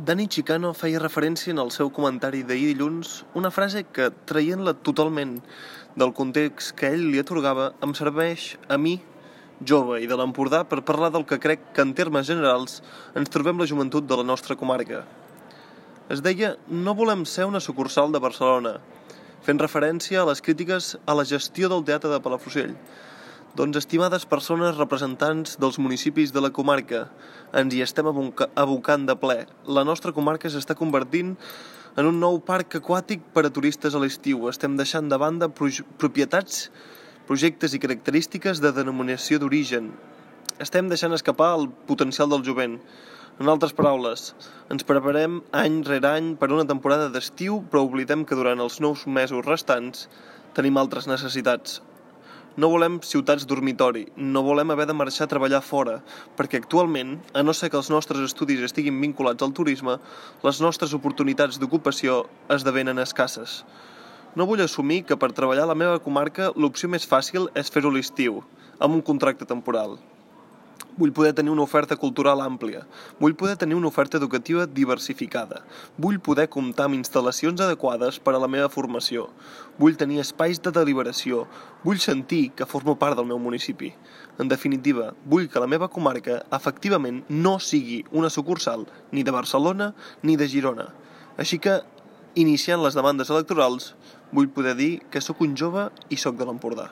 Dani Chicano feia referència en el seu comentari d'ahir dilluns una frase que, traient-la totalment del context que ell li atorgava, em serveix a mi, jove i de l'Empordà, per parlar del que crec que en termes generals ens trobem la joventut de la nostra comarca. Es deia "No volem ser una sucursal de Barcelona", fent referència a les crítiques a la gestió del Teatre de Palafrugell. Doncs, estimades persones representants dels municipis de la comarca, ens hi estem abocant de ple. La nostra comarca s'està convertint en un nou parc aquàtic per a turistes a l'estiu. Estem deixant de banda propietats, projectes i característiques de denominació d'origen. Estem deixant escapar el potencial del jovent. En altres paraules, ens preparem any rere any per una temporada d'estiu, però oblidem que durant els 9 mesos restants tenim altres necessitats. No volem ciutats dormitori, no volem haver de marxar a treballar fora, perquè actualment, a no ser que els nostres estudis estiguin vinculats al turisme, les nostres oportunitats d'ocupació esdevenen escasses. No vull assumir que per treballar a la meva comarca l'opció més fàcil és fer-ho a l'estiu, amb un contracte temporal. Vull poder tenir una oferta cultural àmplia, vull poder tenir una oferta educativa diversificada, vull poder comptar amb instal·lacions adequades per a la meva formació, vull tenir espais de deliberació, vull sentir que formo part del meu municipi. En definitiva, vull que la meva comarca efectivament no sigui una sucursal ni de Barcelona ni de Girona. Així que, iniciant les demandes electorals, vull poder dir que sóc un jove i sóc de l'Empordà.